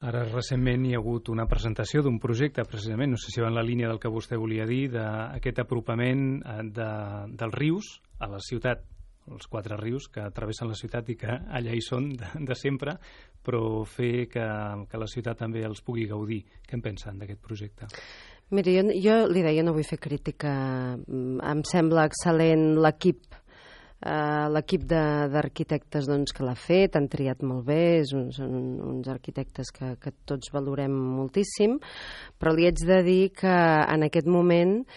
Ara recentment hi ha hagut una presentació d'un projecte, precisament, no sé si va en la línia del que vostè volia dir, d'aquest apropament dels rius a la ciutat, els 4 rius que travessen la ciutat i que allà hi són de sempre, però fer que la ciutat també els pugui gaudir. Què en pensen d'aquest projecte? Miri, jo li deia, no vull fer crítica. Em sembla excel·lent l'equip d'arquitectes que l'ha fet, han triat molt bé, són uns arquitectes que tots valorem moltíssim, però li haig de dir que en aquest moment,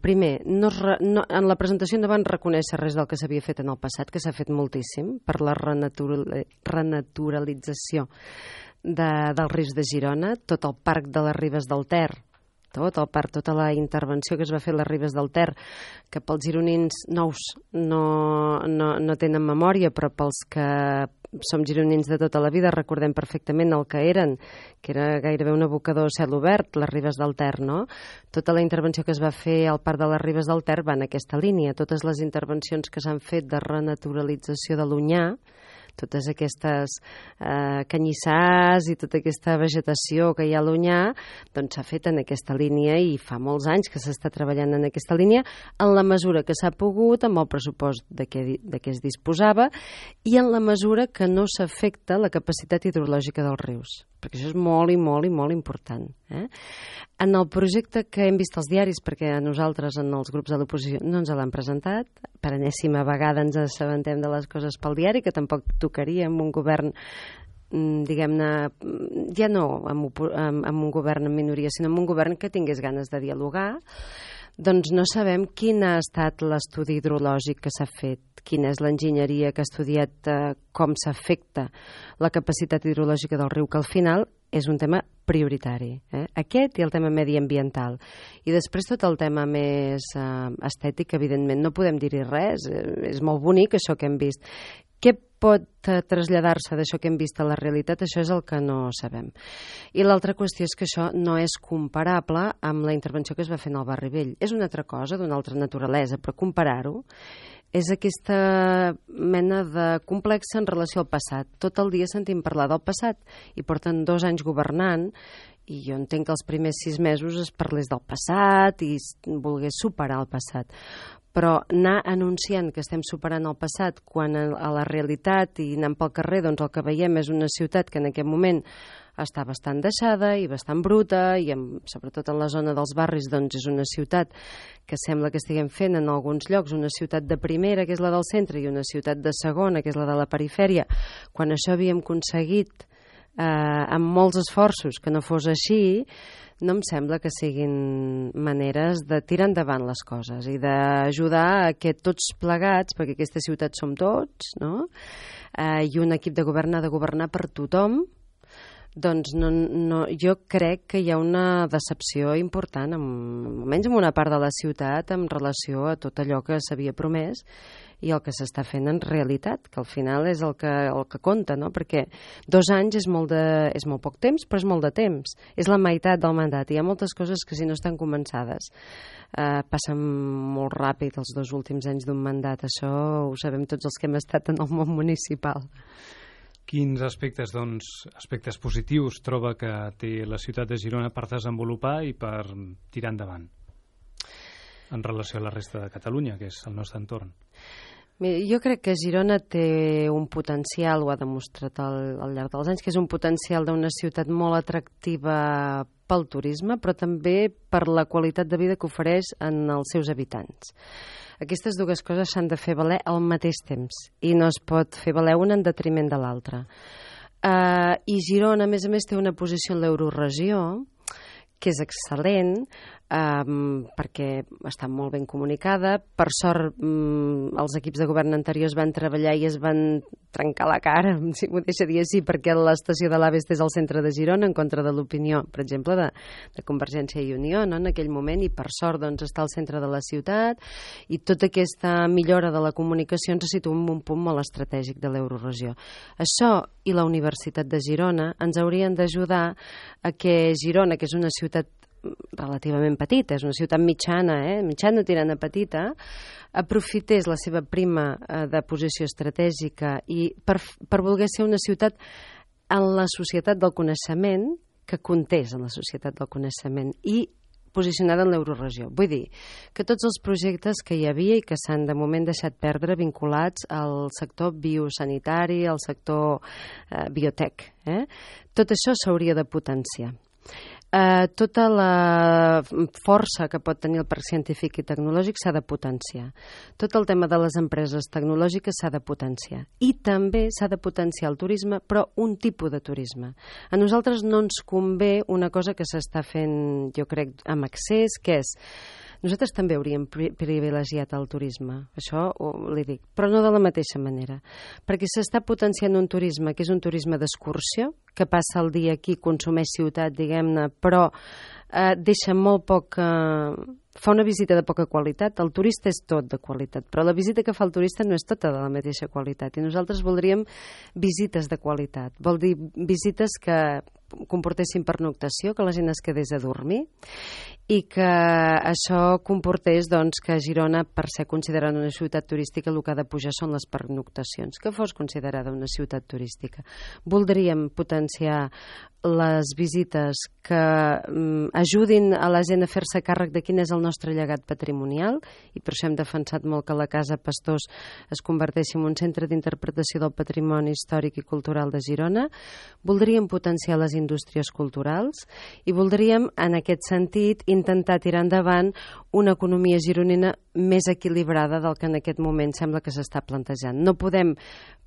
primer, en la presentació no van reconèixer res del que s'havia fet en el passat, que s'ha fet moltíssim per la renaturalització dels rius de Girona, tot el parc de les Ribes del Ter, tota la intervenció que es va fer a les Ribes del Ter, que pels gironins nous no tenen memòria, però pels que som gironins de tota la vida recordem perfectament el que eren, que era gairebé un abocador a cel obert, les Ribes del Ter, no? Tota la intervenció que es va fer al parc de les Ribes del Ter va en aquesta línia. Totes les intervencions que s'han fet de renaturalització de l'Onyar, totes aquestes canyissars i tota aquesta vegetació que hi ha a l'Onyar, doncs s'ha fet en aquesta línia i fa molts anys que s'està treballant en aquesta línia en la mesura que s'ha pogut, amb el pressupost de què es disposava i en la mesura que no s'afecta la capacitat hidrològica dels rius, perquè això és molt i molt i molt important. En el projecte que hem vist als diaris, perquè a nosaltres en els grups de l'oposició no ens l'han presentat, per enèsima vegada ens assabentem de les coses pel diari, que tampoc tocaria amb un govern, diguem-ne, ja no amb un govern en minoria, sinó amb un govern que tingués ganes de dialogar. Doncs no sabem quin ha estat l'estudi hidrològic que s'ha fet, quina és l'enginyeria que ha estudiat com s'afecta la capacitat hidrològica del riu, que al final és un tema prioritari. Aquest i el tema mediambiental. I després tot el tema més estètic, evidentment, no podem dir-hi res, és molt bonic això que hem vist. Què pot traslladar-se d'això que hem vist a la realitat? Això és el que no sabem. I l'altra qüestió és que això no és comparable amb la intervenció que es va fer en el Barri Vell. És una altra cosa, d'una altra naturalesa, però comparar-ho és aquesta mena de complex en relació al passat. Tot el dia sentim parlar del passat i porten 2 anys governant i jo entenc que els primers 6 mesos es parlés del passat i volgués superar el passat. Però anar anunciant que estem superant el passat quan a la realitat i anant pel carrer doncs el que veiem és una ciutat que en aquest moment està bastant deixada i bastant bruta i sobretot en la zona dels barris doncs és una ciutat que sembla que estiguem fent en alguns llocs una ciutat de primera, que és la del centre, i una ciutat de segona, que és la de la perifèria, quan això havíem aconseguit amb molts esforços que no fos així, no em sembla que siguin maneres de tirar endavant les coses i d'ajudar a que tots plegats, perquè aquesta ciutat som tots, no? I un equip de govern ha de governar per tothom, doncs jo crec que hi ha una decepció important, almenys en una part de la ciutat, en relació a tot allò que s'havia promès i el que s'està fent en realitat, que al final és el que compta, no? Perquè 2 anys és molt poc temps, però és molt de temps. És la meitat del mandat. Hi ha moltes coses que si no estan començades passen molt ràpid els 2 últims anys d'un mandat. Això ho sabem tots els que hem estat en el món municipal. Quins aspectes positius troba que té la ciutat de Girona per desenvolupar i per tirar endavant en relació a la resta de Catalunya, que és el nostre entorn? Mira, jo crec que Girona té un potencial, ho ha demostrat al llarg dels anys, que és un potencial d'una ciutat molt atractiva pel turisme, però també per la qualitat de vida que ofereix en els seus habitants. Aquestes dues coses s'han de fer valer al mateix temps i no es pot fer valer una en detriment de l'altra. I Girona, a més, té una posició en l'euroregió que és excel·lent, perquè està molt ben comunicada. Per sort, els equips de govern anteriors van treballar i es van trencar la cara, si m'ho deixa dir així, perquè l'estació de l'AVE és al centre de Girona, en contra de l'opinió, per exemple, de Convergència i Unió, no? En aquell moment, i per sort doncs, està al centre de la ciutat, i tota aquesta millora de la comunicació ens situa en un punt molt estratègic de l'euroregió. Això i la Universitat de Girona ens haurien d'ajudar a que Girona, que és una ciutat relativament petita, és una ciutat mitjana, mitjana tirant a petita, aprofités la seva prima de posició estratègica i per voler ser una ciutat en la societat del coneixement, que comptés en la societat del coneixement i posicionada en l'euroregió. Vull dir que tots els projectes que hi havia i que s'han de moment deixat perdre vinculats al sector biosanitari, al sector biotec, tot això s'hauria de potenciar. Tota la força que pot tenir el parc científic i tecnològic s'ha de potenciar. Tot el tema de les empreses tecnològiques s'ha de potenciar. I també s'ha de potenciar el turisme, però un tipus de turisme. A nosaltres no ens convé una cosa que s'està fent, jo crec, amb accés, que és nosaltres també hauríem privilegiat el turisme, això li dic, però no de la mateixa manera, perquè s'està potenciant un turisme que és un turisme d'excursió, que passa el dia aquí, consumeix ciutat, diguem-ne, però deixa molt poc... fa una visita de poca qualitat. El turista és tot de qualitat, però la visita que fa el turista no és tota de la mateixa qualitat, i nosaltres voldríem visites de qualitat. Vol dir visites que comportessin pernoctació, que la gent es quedés a dormir, i que això comportés doncs, que Girona, per ser considerada una ciutat turística, el que ha de pujar són les pernoctacions, que fos considerada una ciutat turística. Voldríem potenciar les visites que ajudin a la gent a fer-se càrrec de quin és el nostre llegat patrimonial, i per això hem defensat molt que la Casa Pastors es converteixi en un centre d'interpretació del patrimoni històric i cultural de Girona. Voldríem potenciar les indústries culturals i voldríem, en aquest sentit, intentar tirar endavant una economia gironina més equilibrada del que en aquest moment sembla que s'està plantejant. No podem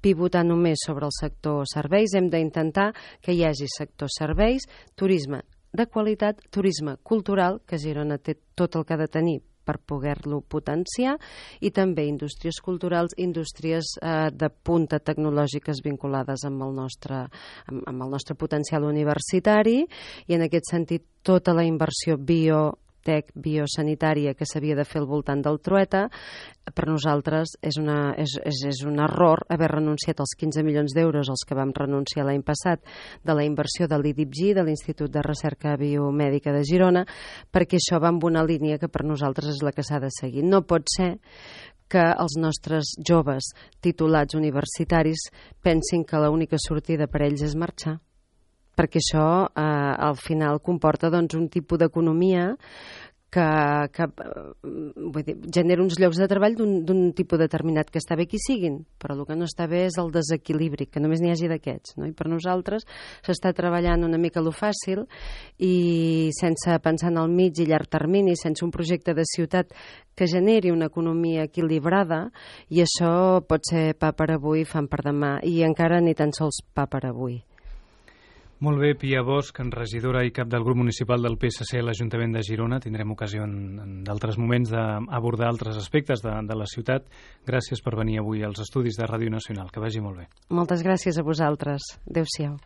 pivotar només sobre el sector serveis, hem d'intentar que hi hagi sector serveis, turisme de qualitat, turisme cultural, que Girona té tot el que ha de tenir per poder-lo potenciar, i també indústries culturals, indústries de punta tecnològiques vinculades amb el nostre potencial universitari, i en aquest sentit tota la inversió biosanitària que s'havia de fer al voltant del Trueta, per nosaltres és un error haver renunciat als 15 milions d'euros als que vam renunciar l'any passat de la inversió de l'IDIPG, de l'Institut de Recerca Biomèdica de Girona, perquè això va en una línia que per nosaltres és la que s'ha de seguir. No pot ser que els nostres joves titulats universitaris pensin que l'única sortida per ells és marxar, perquè això al final comporta doncs, un tipus d'economia que vull dir, genera uns llocs de treball d'un tipus determinat, que està bé que hi siguin, però el que no està bé és el desequilibri, que només n'hi hagi d'aquests, no? I per nosaltres s'està treballant una mica lo fàcil i sense pensar en el mig i llarg termini, sense un projecte de ciutat que generi una economia equilibrada, i això pot ser pa per avui, fam per demà, i encara ni tan sols pa per avui. Molt bé, Pia Bosch, regidora i cap del grup municipal del PSC a l'Ajuntament de Girona. Tindrem ocasió en d'altres moments d'abordar altres aspectes de la ciutat. Gràcies per venir avui als estudis de Ràdio Nacional. Que vagi molt bé. Moltes gràcies a vosaltres. Adéu-siau.